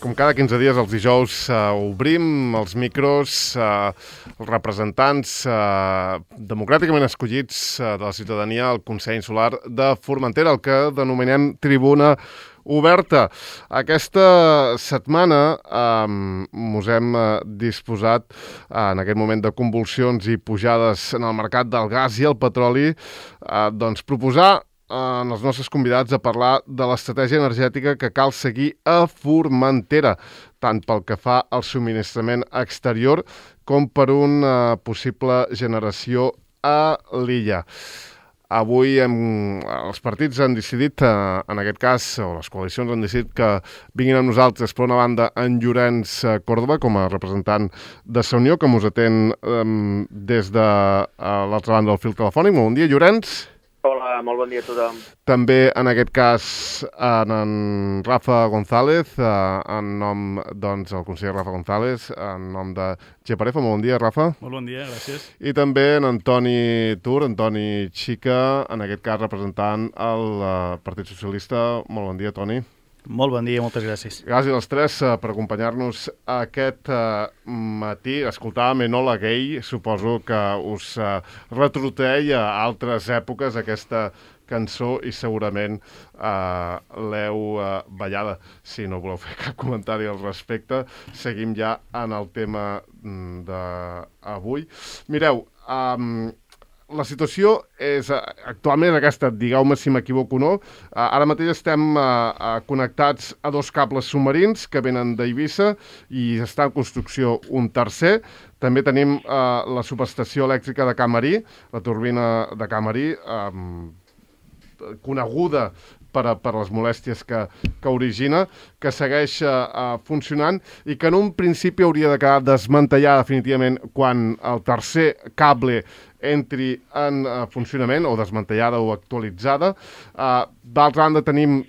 Com cada 15 dies, els dijous, obrim els micros, els representants democràticament escollits de la ciutadania al Consell Insular de Formentera, el que denominem Tribuna Oberta. Aquesta setmana us hem disposat, en aquest moment de convulsions i pujades en el mercat del gas i el petroli, proposar als nostres convidats a parlar de l'estratègia energètica que cal seguir a Formentera, tant pel que fa al subministrament exterior com per una possible generació a l'illa. Avui els partits han decidit, en aquest cas, o les coalicions han decidit que vinguin amb nosaltres, per una banda, en Llorenç Córdoba, com a representant de Sa Unió, que us atén des de l'altra banda del fil telefònic. Molt bon dia, Llorenç. Hola, molt bon dia a tothom. També, en aquest cas, en Rafa González, en nom, doncs, el conseller Rafa González, en nom de Geparefa. Molt bon dia, Rafa. Molt bon dia, gràcies. I també en Antoni Tur, Antoni Xica, en aquest cas representant el Partit Socialista. Molt bon dia, Toni. Molt bon dia, moltes gràcies. Gràcies als tres per acompanyar-nos aquest matí. Escoltàvem Enola Gay, suposo que us retrotei a altres èpoques aquesta cançó i segurament l'heu ballada. Si no voleu fer cap comentari al respecte, seguim ja en el tema d'avui. Mireu, la situació és actualment aquesta, digueu-me si m'equivoco o no. Ara mateix estem connectats a dos cables submarins que venen d'Eivissa i està en construcció un tercer. També tenim la subestació elèctrica de Camarí, la turbina de Camarí, coneguda per les molèsties que origina, que segueix funcionant i que en un principi hauria de quedar desmantellada definitivament quan el tercer cable entri en funcionament, o desmantellada o actualitzada. D'altra banda, tenim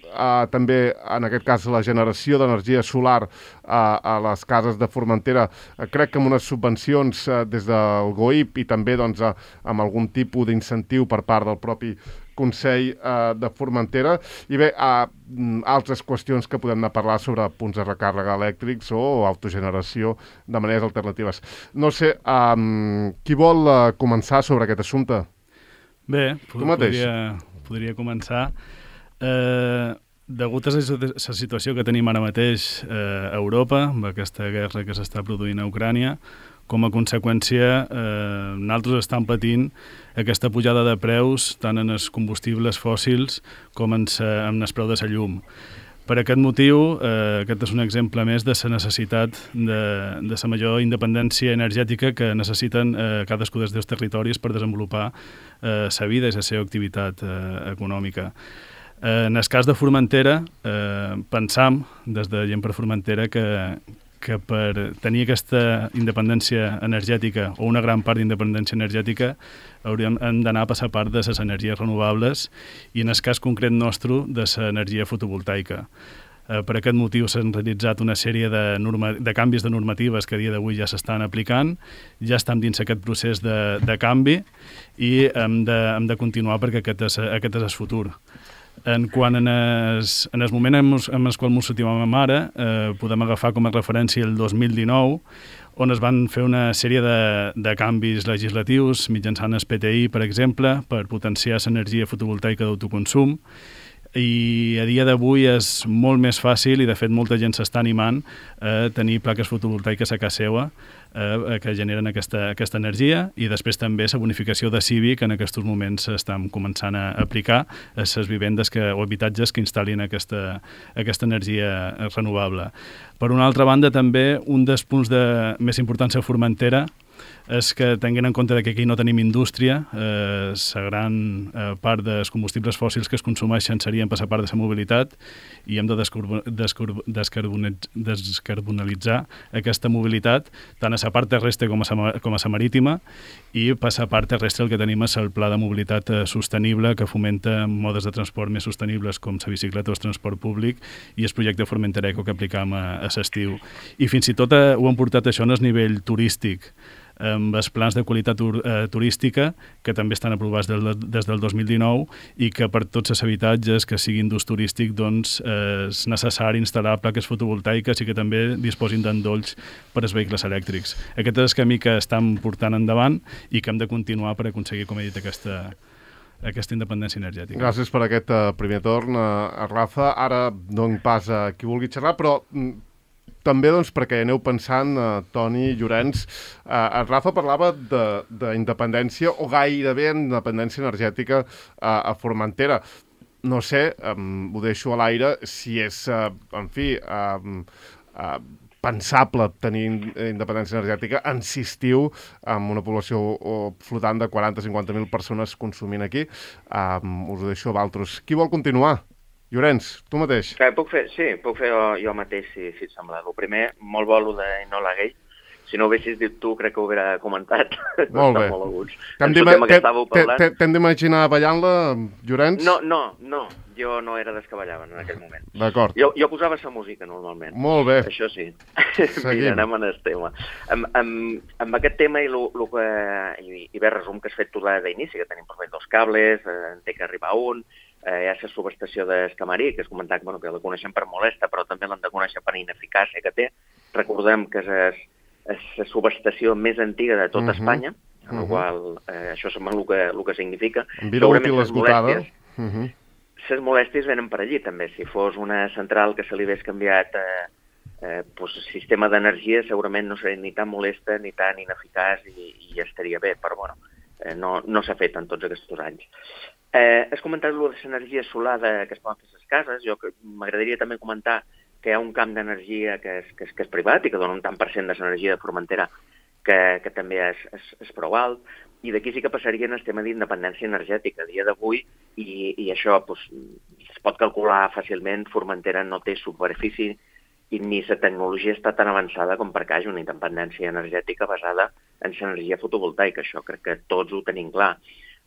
també, en aquest cas, la generació d'energia solar a les cases de Formentera, crec que amb unes subvencions des del GOIP i també amb algun tipus d'incentiu per part del propi Consell de Formentera. I bé, altres qüestions que podem anar a parlar sobre punts de recàrrega elèctrics o autogeneració de maneres alternatives. No sé, qui vol començar sobre aquest assumpte? Bé, podria començar. Degut a la situació que tenim ara mateix a Europa, amb aquesta guerra que s'està produint a Ucrània, com a conseqüència, nosaltres estem patint aquesta pujada de preus tant en els combustibles fòssils com en el preu de la llum. Per aquest motiu, aquest és un exemple més de la necessitat de la major independència energètica que necessiten cadascú dels dos territoris per desenvolupar la vida i la seva activitat econòmica. En el cas de Formentera, pensam, des de Gent per Formentera, que per tenir aquesta independència energètica o una gran part d'independència energètica hem d'anar a passar part de les energies renovables i en el cas concret nostre de l'energia fotovoltaica. Per aquest motiu s'han realitzat una sèrie de canvis de normatives que a dia d'avui ja s'estan aplicant, ja estem dins aquest procés de canvi i hem de continuar perquè aquest és el futur. En el moment en el qual ens situem ara, podem agafar com a referència el 2019, on es van fer una sèrie de canvis legislatius mitjançant el PTI, per exemple, per potenciar l'energia fotovoltaica d'autoconsum, i a dia d'avui és molt més fàcil i de fet molta gent s'està animant a tenir plaques fotovoltaiques a casa seva que generen aquesta energia, i després també la bonificació de CIVI que en aquests moments estan començant a aplicar a les vivendes o habitatges que instal·lin aquesta energia renovable. Per una altra banda, també un dels punts més importants a Formentera és que, tenint en compte que aquí no tenim indústria, la gran part dels combustibles fòssils que es consumeixen serien per la part de la mobilitat, i hem de descarbonalitzar aquesta mobilitat, tant a la part terrestre com a la marítima, i per la part terrestre el que tenim és el Pla de Mobilitat Sostenible, que fomenta modes de transport més sostenibles com la bicicleta o el transport públic, i el projecte Formentera Eco que aplicam a l'estiu. I fins i tot ho hem portat això en el nivell turístic. amb els plans de qualitat turística, que també estan aprovats des del 2019 i que per tots els habitatges que siguin d'ús turístic doncs, és necessari instal·lar plaques fotovoltaiques i que també disposin d'endolls per als vehicles elèctrics. Aquest és el camí que estem portant endavant i que hem de continuar per aconseguir, com he dit, aquesta independència energètica. Gràcies per aquest primer torn, Rafa. Ara no en pas a qui vulgui xerrar, però també doncs, perquè aneu pensant, Toni, Llorenç, Rafa parlava d'independència o gairebé independència energètica a Formentera. No sé, ho deixo a l'aire, si és, en fi, pensable tenir independència energètica en estiu amb una població flotant de 40-50.000 persones consumint aquí. Us ho deixo a vosaltres. Qui vol continuar? Llorenç, tu mateix. Puc fer jo mateix, si et sembla. El primer, molt bo, de Enola Gay. Si no ho haguessis dit tu, crec que ho hauria comentat. Molt bé. T'hem d'imaginar ballant-la, Llorenç? No. Jo no era dels que ballaven en aquell moment. D'acord. Jo posava sa música, normalment. Molt bé. Això sí. Mira, anem en el tema. Amb aquest tema i bé, resum que has fet tu d'inici, que tenim per fer 2 cables, en té que arribar un, hi ha la subestació d'Escamarí, que es comentava que la coneixem per molesta, però també l'han de conèixer per ineficàcia que té. Recordem que és la subestació més antiga de tot Espanya, amb la qual això sembla el que significa. En vida útil esgotada. Les molèsties venen per allí, també. Si fos una central que se li hagués canviat sistema d'energia, segurament no seria ni tan molesta ni tan ineficaç i estaria bé, però bueno, no s'ha fet en tots aquests anys. Has comentat l'energia solar que es poden fer a les cases. Jo m'agradaria també comentar que hi ha un camp d'energia que és privat i que dona un tant per cent de l'energia de Formentera que també és prou alt, i d'aquí sí que passaria en el tema d'independència energètica. A dia d'avui, i això es pot calcular fàcilment, Formentera no té superfície i ni la tecnologia està tan avançada com perquè hi hagi una independència energètica basada en l'energia fotovoltaica. Això crec que tots ho tenim clar.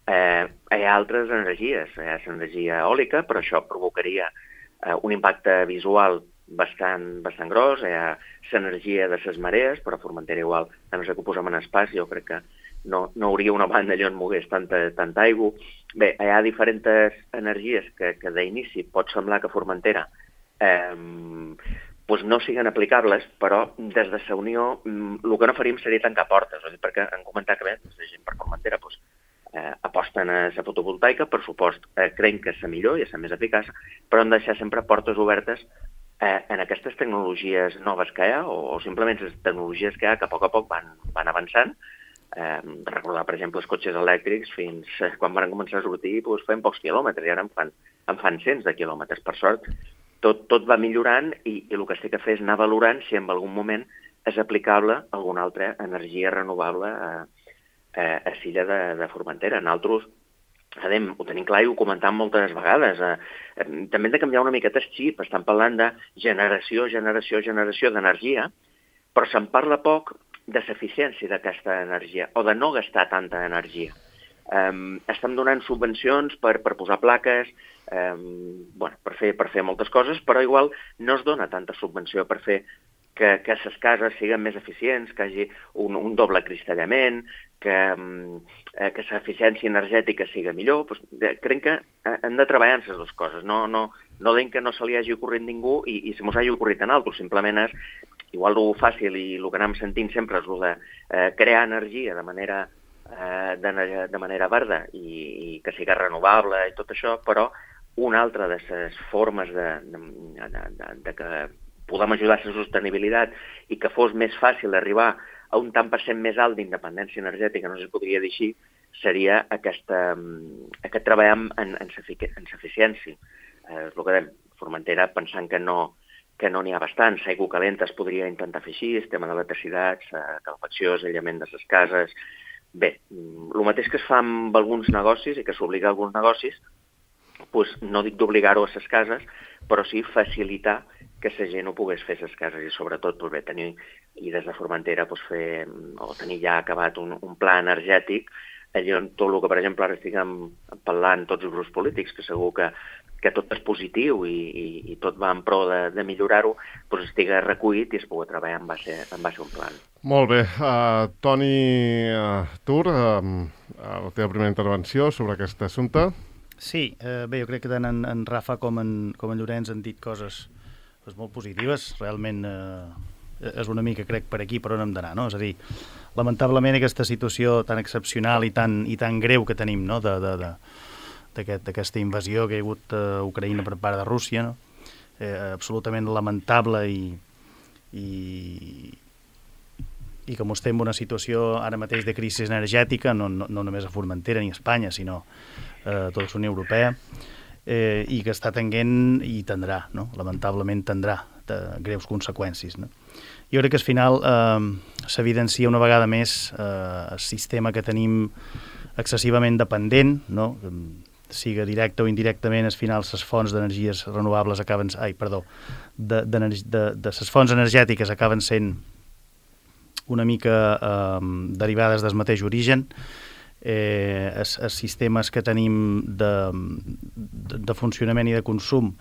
Hi ha altres energies, hi ha l'energia eòlica, però això provocaria un impacte visual bastant gros. Hi ha l'energia de les marees, però a Formentera igual, a no ser que ho posem en espais, jo crec que no hauria una banda allà on mogués tanta aigua. Bé, hi ha diferents energies que d'inici pot semblar que a Formentera no siguin aplicables, però des de la Unió el que no faríem seria tancar portes, perquè han comentat que bé, la gent per Formentera aposten a la fotovoltaica, per supost, creiem que és la millor i és la més eficaç, però han de deixar sempre portes obertes en aquestes tecnologies noves que hi ha, o simplement les tecnologies que hi ha que a poc van avançant. Recordar, per exemple, els cotxes elèctrics, fins quan van començar a sortir feien pocs quilòmetres, i ara en fan cents de quilòmetres. Per sort, tot va millorant i el que es té que fer és anar valorant si en algun moment és aplicable alguna altra energia renovable a l'illa de Formentera. Nosaltres ho tenim clar i ho comentam moltes vegades. També hem de canviar una miqueta el xip. Estan parlant de generació d'energia, però se'n parla poc de l'eficiència d'aquesta energia o de no gastar tanta energia. Estem donant subvencions per posar plaques, per fer moltes coses, però igual no es dona tanta subvenció per fer que les cases siguin més eficients, que hi hagi un doble cristallament, que l'eficiència energètica sigui millor. Crec que hem de treballar en les dues coses. No deim que no se li hagi ocorrit ningú i si mos hagi ocorrit en altres. Simplement és, igual el fàcil i el que anem sentint sempre és el de crear energia de manera verda i que sigui renovable i tot això, però una altra de les formes de que podem ajudar a la sostenibilitat i que fos més fàcil arribar a un tant per cent més alt d'independència energètica, no sé si es podria dir així, seria aquest treball en l'eficiència. És el que dèiem, Formentera, pensant que no n'hi ha bastants, aigua calenta es podria intentar fer així, el tema d'electricitat, calefacció, aïllament de les cases. Bé, el mateix que es fa amb alguns negocis i que s'obliga a alguns negocis, no dic d'obligar-ho a les cases, però sí facilitar que la gent ho pogués fer a les cases i sobretot tenir, i des de Formentera tenir ja acabat un pla energètic allà on tot el que, per exemple, ara estiguem parlant tots els grups polítics, que segur que que tot és positiu i tot va en pro de millorar-ho, doncs estigui recollit i es pugui treballar en base un plan. Molt bé. Toni Tur, la teva primera intervenció sobre aquest assumpte. Sí, bé, jo crec que tant en Rafa com en Llorenç han dit coses molt positives. Realment és una mica, crec, per aquí per on hem d'anar, no? És a dir, lamentablement aquesta situació tan excepcional i tan greu que tenim, no?, d'aquesta invasió que hi ha hagut a Ucraïna per part de Rússia, no? Absolutament lamentable i com estem en una situació ara mateix de crisi energètica, no només a Formentera ni a Espanya, sinó a tota la Unió Europea, i que està tenint i tindrà, no? Lamentablement tindrà greus conseqüències, no? Jo crec que al final s'evidencia una vegada més el sistema que tenim excessivament dependent, no? Siga directe o indirectament, al final les fonts d'energies renovables acaben... de les fonts energètiques acaben sent una mica derivades del mateix origen. Els sistemes que tenim de funcionament i de consum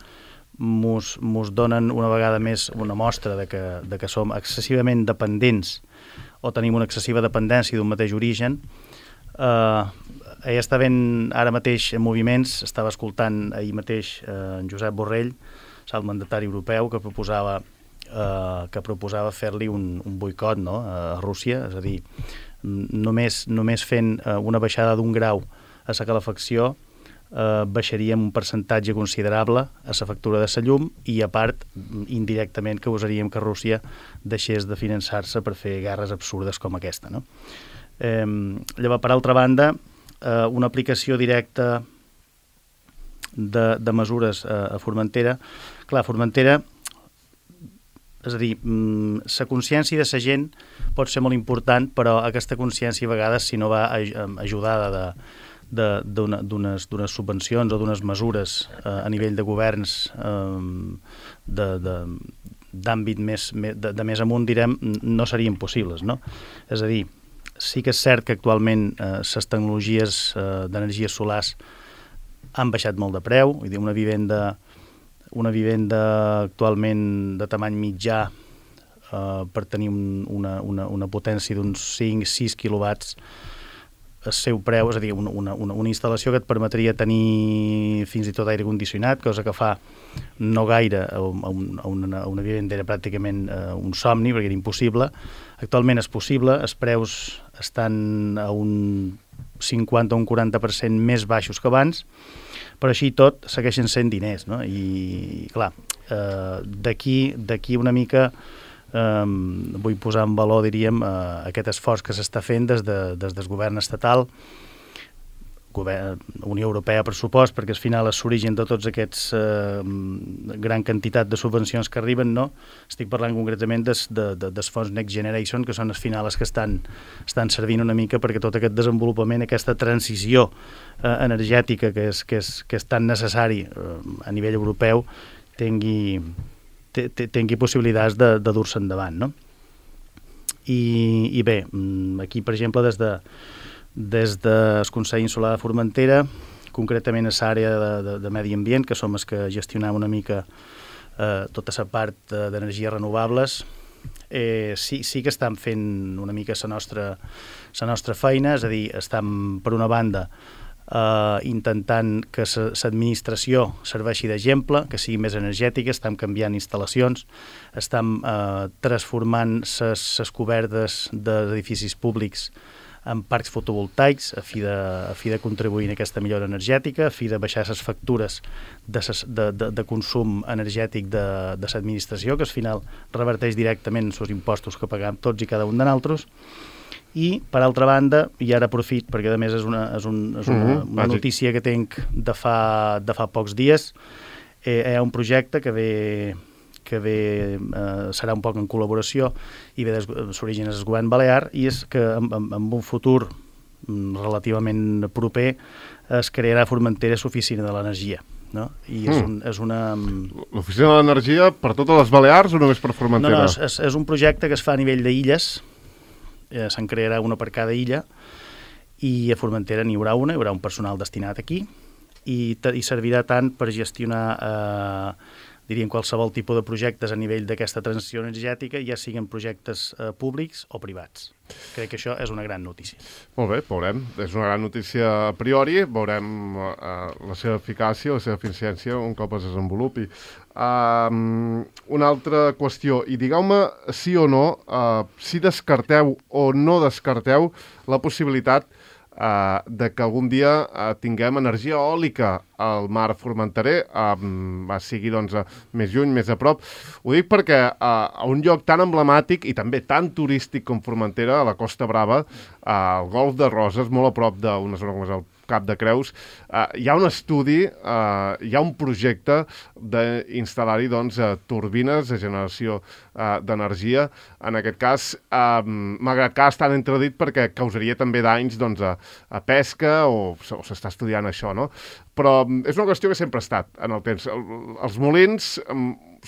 mos donen una vegada més una mostra de que som excessivament dependents o tenim una excessiva dependència d'un mateix origen. Ella està ben ara mateix en moviments, estava escoltant ahir mateix en Josep Borrell, el mandatari europeu, que proposava fer-li un boicot, no?, a Rússia, és a dir, només fent una baixada d'un grau a la calefacció baixaríem un percentatge considerable a la factura de la llum i, a part, indirectament causaríem que Rússia deixés de finançar-se per fer guerres absurdes com aquesta, no? Llavors, per altra banda, una aplicació directa de mesures a Formentera. Clar, Formentera, és a dir, la consciència de la gent pot ser molt important, però aquesta consciència a vegades, si no va ajudada d'unes subvencions o d'unes mesures a nivell de governs d'àmbit de més amunt, direm, no serien possibles, no? És a dir, sí que és cert que actualment les tecnologies d'energies solars han baixat molt de preu, vull dir, una vivenda actualment de tamany mitjà per tenir una potència d'uns 5-6 quilowatts, el seu preu, és a dir, una instal·lació que et permetria tenir fins i tot aire condicionat, cosa que fa no gaire a una vivenda era pràcticament un somni, perquè era impossible. Actualment és possible, els preus estan a un 50 o un 40% més baixos que abans, però així tot segueixen sent diners, no? I clar, d'aquí una mica vull posar en valor, diríem, aquest esforç que s'està fent des del govern estatal, Unió Europea, per supost, perquè al final és l'origen de tots aquests gran quantitat de subvencions que arriben, no? Estic parlant concretament dels fons Next Generation, que són al final els que estan servint una mica perquè tot aquest desenvolupament, aquesta transició energètica que és tan necessari a nivell europeu tingui possibilitats de dur-se endavant, no? I bé, aquí, per exemple, des del Consell Insular de Formentera, concretament a l'àrea de medi ambient, que som els que gestionem una mica tota la part d'energies renovables, sí que estan fent una mica la nostra feina, és a dir, estem, per una banda, intentant que l'administració serveixi d'exemple, que sigui més energètica, estem canviant instal·lacions, estem transformant les cobertes d'edificis públics en parcs fotovoltaics a fi de contribuir en aquesta millora energètica, a fi de baixar les factures de consum energètic de l'administració, que al final reverteix directament els impostos que paguem tots i cada un de nosaltres. I, per altra banda, i ara aprofit, perquè a més és una notícia que tinc de fa pocs dies, hi ha un projecte que serà un poc en col·laboració i ve d'origen del govern balear, i és que en un futur relativament proper es crearà a Formentera l'Oficina de l'Energia, no? I és una... L'Oficina de l'Energia per totes les Balears o només per Formentera? No, és un projecte que es fa a nivell d'illes. Se'n crearà una per cada illa i a Formentera n'hi haurà una, hi haurà un personal destinat aquí i servirà tant per gestionar diríem qualsevol tipus de projectes a nivell d'aquesta transició energètica, ja siguin projectes públics o privats. Crec que això és una gran notícia. Molt bé, veurem. És una gran notícia a priori, veurem la seva eficàcia, la seva eficiència un cop es desenvolupi. Una altra qüestió, i digueu-me sí o no, si descarteu o no descarteu la possibilitat de que algun dia tinguem energia eòlica al mar formenterer, sigui doncs, més lluny, més a prop. Ho dic perquè a un lloc tan emblemàtic i també tan turístic com Formentera, a la Costa Brava, al Golf de Roses, molt a prop d'una zona com és el Cap de Creus, hi ha un estudi, hi ha un projecte d'instal·lar-hi doncs, turbines de generació d'energia. En aquest cas, malgrat que està entredit perquè causaria també danys doncs, a pesca o s'està estudiant això, no? Però és una qüestió que sempre ha estat en el temps. Els molins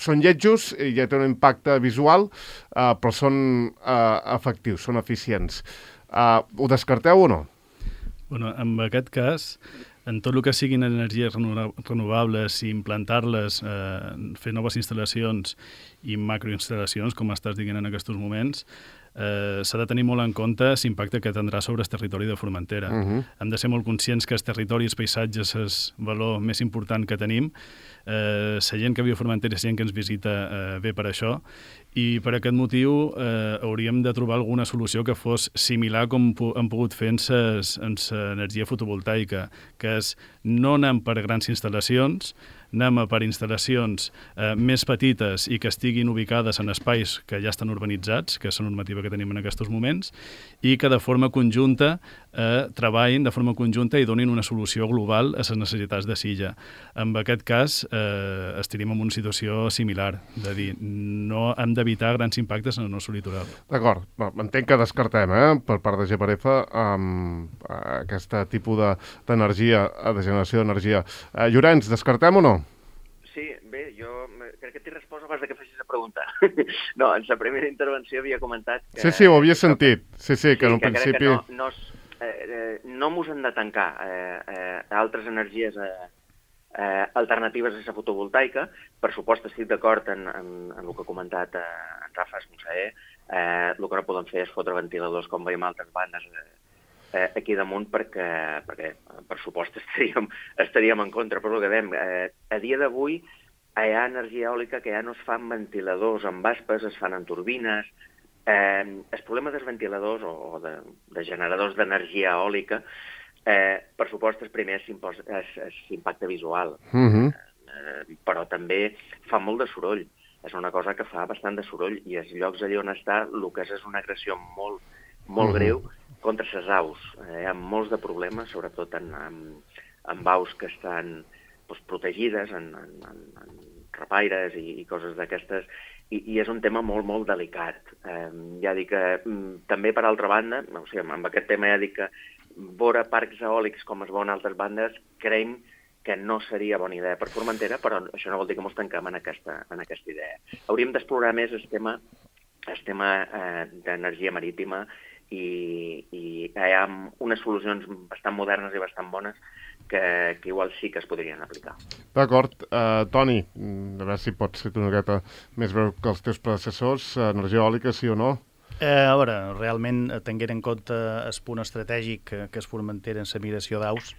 són lletjos i ja té un impacte visual, però són efectius, són eficients. Ho descarteu o no? Bueno, en aquest cas, en tot el que siguin energies renovables i implantar-les, fer noves instal·lacions i macroinstal·lacions, com estàs dient en aquests moments, s'ha de tenir molt en compte l'impacte que tindrà sobre el territori de Formentera. Hem de ser molt conscients que el territori i els paisatges és el valor més important que tenim. La gent que viu a Formentera, la gent que ens visita, ve per això, i per aquest motiu hauríem de trobar alguna solució que fos similar com hem pogut fer en l'energia fotovoltaica, que és no anem per grans instal·lacions, anem per instal·lacions més petites i que estiguin ubicades en espais que ja estan urbanitzats, que és la normativa que tenim en aquests moments, i que de forma conjunta treballin de forma conjunta i donin una solució global a les necessitats de Silla. En aquest cas, estaríem en una situació similar, de dir, no hem d'evitar grans impactes en el nostre litoral. D'acord, entenc que descartem, per part de GPRF, aquest tipus d'energia, de generació d'energia. Llorenç, descartem o no? Sí, bé, jo crec que t'he respost abans que facis la pregunta. No, en la primera intervenció havia comentat que... Sí, ho havia sentit. Sí, que en un principi... no mos hem de tancar a altres energies alternatives a la fotovoltaica. Per supost, estic d'acord en el que ha comentat en Rafa Esmonsaer. El que no podem fer és fotre ventiladors com veiem altres bandes aquí damunt perquè per supost estaríem en contra, però el que dèiem, a dia d'avui hi ha energia eòlica que ja no es fan ventiladors amb aspes, es fan en turbines. El problema dels ventiladors o de generadors d'energia eòlica, per supost, el primer és l'impacte visual, però també fa molt de soroll. És una cosa que fa bastant de soroll i els llocs allà on està el que és una agressió molt greu contra les aus. Hi ha molts de problemes, sobretot en aus que estan protegides, en rapaires i coses d'aquestes, i és un tema molt, molt delicat. Ja dic que també, per altra banda, amb aquest tema ja dic que veure parcs eòlics com es veuen altres bandes, creiem que no seria bona idea per Formentera, però això no vol dir que ens tanquem en aquesta idea. Hauríem d'explorar més el tema d'energia marítima i hi ha unes solucions bastant modernes i bastant bones que igual sí que es podrien aplicar. D'acord. Toni, a veure si pots ser una miqueta més breu que els teus predecessors, energia eòlica, sí o no? A veure, realment, tenint en compte el punt estratègic que es Formentera en la migració d'aus,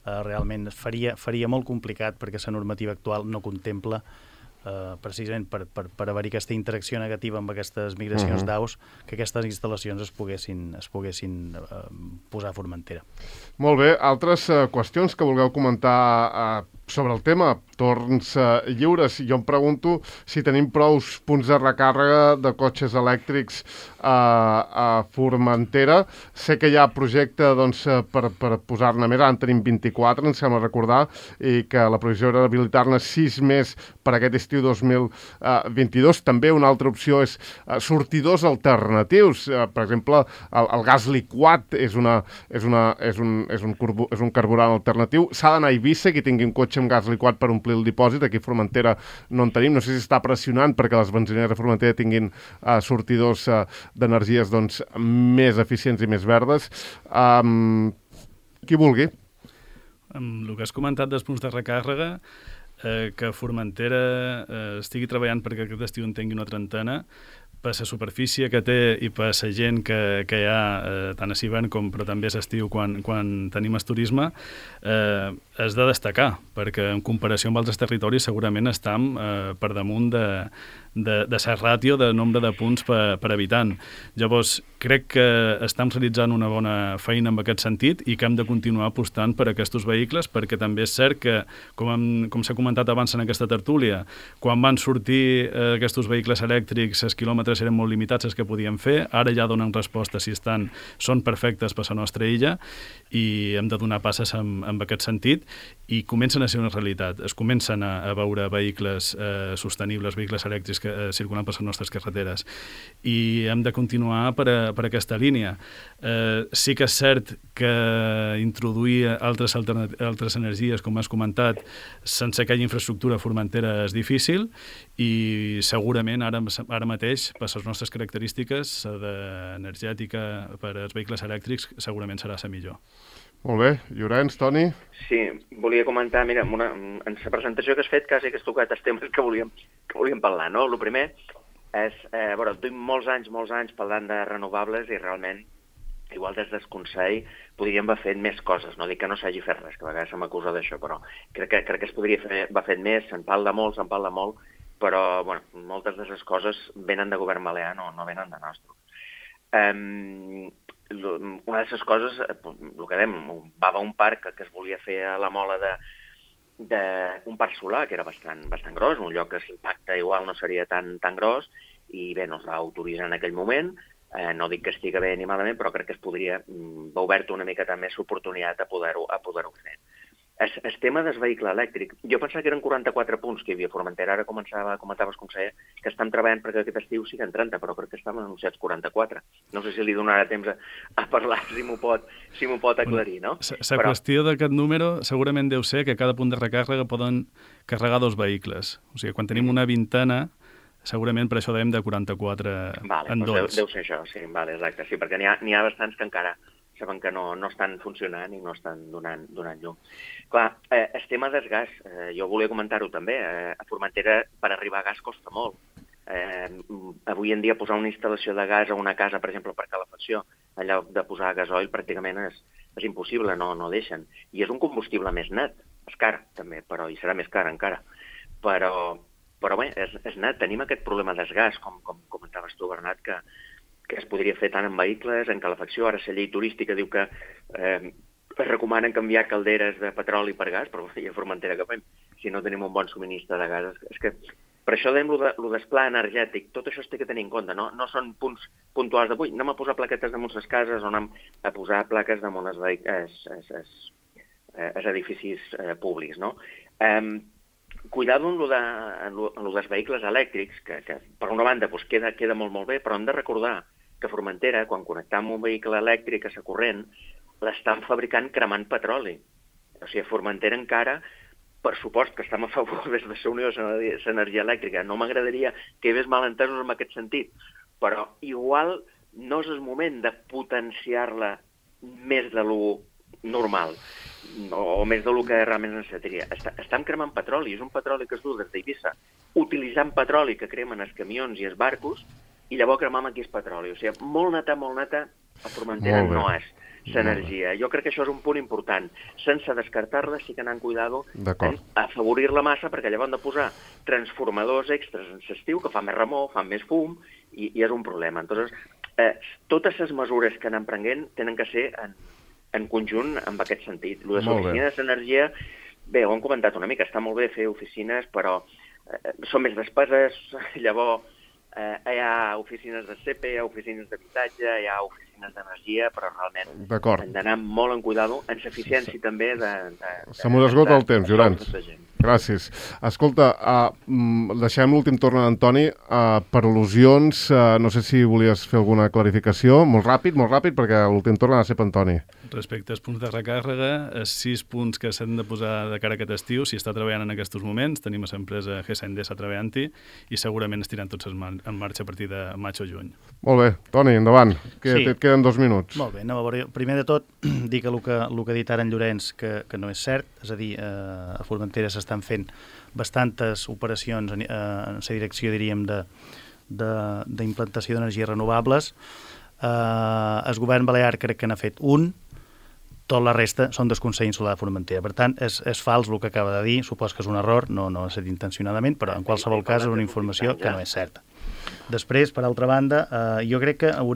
realment faria molt complicat perquè la normativa actual no contempla precisament per haver-hi aquesta interacció negativa amb aquestes migracions d'aus, que aquestes instal·lacions es poguessin posar a Formentera. Molt bé. Altres qüestions que vulgueu comentar sobre el tema? Torns lliures. Jo em pregunto si tenim prou punts de recàrrega de cotxes elèctrics a Formentera. Sé que hi ha projecte per posar-ne més. Ara en tenim 24, em sembla recordar, i que la previsió era habilitar-ne 6 més per aquest estiu 2022. També una altra opció és sortidors alternatius. Per exemple, el gas liquat és un carburant alternatiu. S'ha d'anar a Eivissa, qui tingui un cotxe amb gas liquat per omplir el dipòsit. Aquí a Formentera no en tenim. No sé si està pressionant perquè les benzineres de Formentera tinguin sortidors d'energies més eficients i més verdes. Qui vulgui. amb el que has comentat dels punts de recàrrega, que Formentera estigui treballant perquè aquest estiu en tingui una trentena, per la superfície que té i per la gent que hi ha, tant a hivern però també a l'estiu quan tenim el turisme, és de destacar, perquè en comparació amb altres territoris segurament estem per damunt de la ràtio de nombre de punts per habitant. Llavors, crec que estem realitzant una bona feina en aquest sentit i que hem de continuar apostant per aquests vehicles, perquè també és cert que, com s'ha comentat abans en aquesta tertúlia, quan van sortir aquests vehicles elèctrics, els quilòmetres eren molt limitats els que podien fer, ara ja donen resposta si són perfectes per la nostra illa i hem de donar passes en aquest sentit i comencen a ser una realitat. Es comencen a veure vehicles sostenibles, vehicles elèctrics circulant per les nostres carreteres i hem de continuar per aquesta línia. Sí que és cert que introduir altres energies, com has comentat, sense aquella infraestructura a Formentera és difícil i segurament ara mateix, per les nostres característiques energètica per als vehicles elèctrics, segurament serà la millor. Molt bé. Llorenç, Toni? Sí, volia comentar, mira, en la presentació que has fet quasi que has tocat els temes que volíem parlar, no? El primer és, duim molts anys parlant de renovables i realment, igual des del Consell, podríem haver fet més coses. No dic que no s'hagi fet res, que a vegades se m'acusa d'això, però crec que es podria haver fet més, se'n parla molt, però moltes de les coses venen de govern balear, no venen de nostre. Una de les coses, el que dèiem, va un parc que es volia fer a la Mola d'un parc solar, que era bastant gros, un lloc que l'impacte igual no seria tan gros, i bé, no es va autoritzar en aquell moment. No dic que estigui bé ni malament, però crec que es podria haver obert una miqueta més l'oportunitat a poder-ho fer. El tema del vehicle elèctric, jo pensava que eren 44 punts que hi havia a Formentera, ara comentaves, conseller, que estem treballant perquè aquest estiu siguin 30, però crec que estan anunciats 44. No sé si li donarà temps a parlar, si m'ho pot aclarir, no? La qüestió d'aquest número segurament deu ser que cada punt de recàrrega poden carregar 2 vehicles. O sigui, quan tenim una vintena, segurament per això dèiem de 44 en 2. Deu ser això, sí, exacte. Sí, perquè n'hi ha bastants que encara saben que no estan funcionant i no estan donant llum. Clar, el tema del gas, jo volia comentar-ho també, a Formentera per arribar a gas costa molt. Avui en dia posar una instal·lació de gas a una casa, per exemple, per calefacció, en lloc de posar gasoil, pràcticament és impossible, no deixen. I és un combustible més net, és car també, però hi serà més car encara. Però bé, és net, tenim aquest problema del gas, com comentaves tu, Bernat, que es podria fer tant en vehicles, en calefacció. Ara la llei turística diu que es recomanen canviar calderes de petroli per gas, però a Formentera que fem? Si no tenim un bon subministre de gas. És que per això dèiem lo del pla energètic, tot això es té que tenir en compte, no són punts puntuals d'avui. Anem a posar plaquetes damunt les cases o anem a posar plaques damunt els edificis públics, no? Cuidado en lo dels vehicles elèctrics, que per una banda queda molt bé, però hem de recordar que a Formentera, quan connectam un vehicle elèctric a la corrent, l'estan fabricant cremant petroli. O sigui, a Formentera encara, per supost que estem a favor des de la Unió de l'Energia Elèctrica, no m'agradaria que hi hagués malentesos en aquest sentit, però igual no és el moment de potenciar-la més de lo normal, o més del que realment necessitaria. Estem cremant petroli, és un petroli que es du des d'Eivissa, utilitzant petroli que cremen els camions i els barcos, i llavors cremam aquí el petroli. O sigui, molt neta, a Formentera no és l'energia. Jo crec que això és un punt important. Sense descartar-la, sí que anant cuidado en afavorir-la massa, perquè llavors han de posar transformadors extras en l'estiu, que fa més remor, fa més fum, i és un problema. Entonces, totes les mesures que anem prenent tenen que ser en conjunt amb aquest sentit. Lo de l'oficina d'energia, bé, ho hem comentat una mica, està molt bé fer oficines, però són més despeses, llavors hi ha oficines de CP, hi ha oficines d'habitatge, hi ha oficines d'energia, però realment hem d'anar molt en cuidado, en l'eficiència també Se m'ho esgota el temps, Llorenç. Gràcies. Escolta, deixem l'últim torn a Antoni. Per al·lusions, no sé si volies fer alguna clarificació. Molt ràpid, perquè l'últim torn ha de ser per Antoni. Respecte als punts de recàrrega, els 6 punts que s'han de posar de cara a aquest estiu, si està treballant en aquests moments, tenim l'empresa GSND treballant-hi i segurament estiran tots els en marxa a partir de maig o juny. Molt bé, Toni, endavant, que Sí. et queden 2 minuts. Molt bé, anem a veure. Primer de tot, dir que el que ha dit ara en Llorenç que no és cert, és a dir, a Formentera s'estan fent bastantes operacions en la direcció, diríem, d'implantació d'energies renovables. El govern balear crec que n'ha fet un, tot la resta són del Consell Insular de Formentera. Per tant, és fals el que acaba de dir, supos que és un error, no ha estat intencionadament, però en qualsevol cas és una informació que no és certa. Després, per altra banda, jo crec que no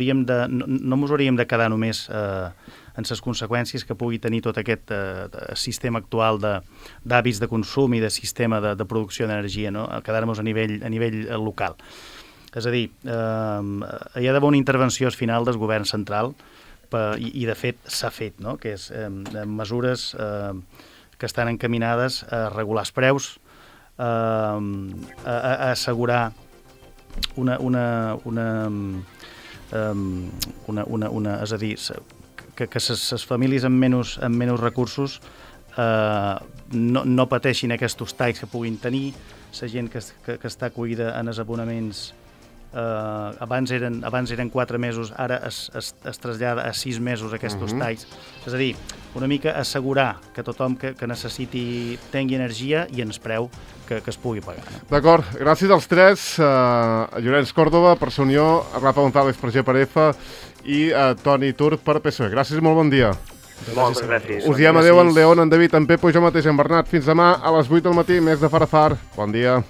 ens hauríem de quedar només en les conseqüències que pugui tenir tot aquest sistema actual d'hàbits de consum i de sistema de producció d'energia, no? Quedar-nos a nivell local. És a dir, hi ha d'haver una intervenció al final del govern central i de fet s'ha fet, no? Que és mesures que estan encaminades a regular els preus, a assegurar és a dir, que les famílies amb menys recursos no pateixin aquests talls que puguin tenir, la gent que està acollida en els abonaments abans eren 4 mesos, ara es trasllada a 6 mesos aquests talls. És a dir, una mica assegurar que tothom que necessiti tingui energia i en el preu que es pugui pagar. No? D'acord, gràcies als tres, a Llorenç Còrdova per Sa Unió, a Rafa González per GPRF i a Toni Tur per PSOE. Gràcies i molt bon dia. Moltes gràcies. Us diem adeu en León, en David, en Pepo i jo mateix, en Bernat. Fins demà a les 8 del matí, més de Far a Far. Bon dia.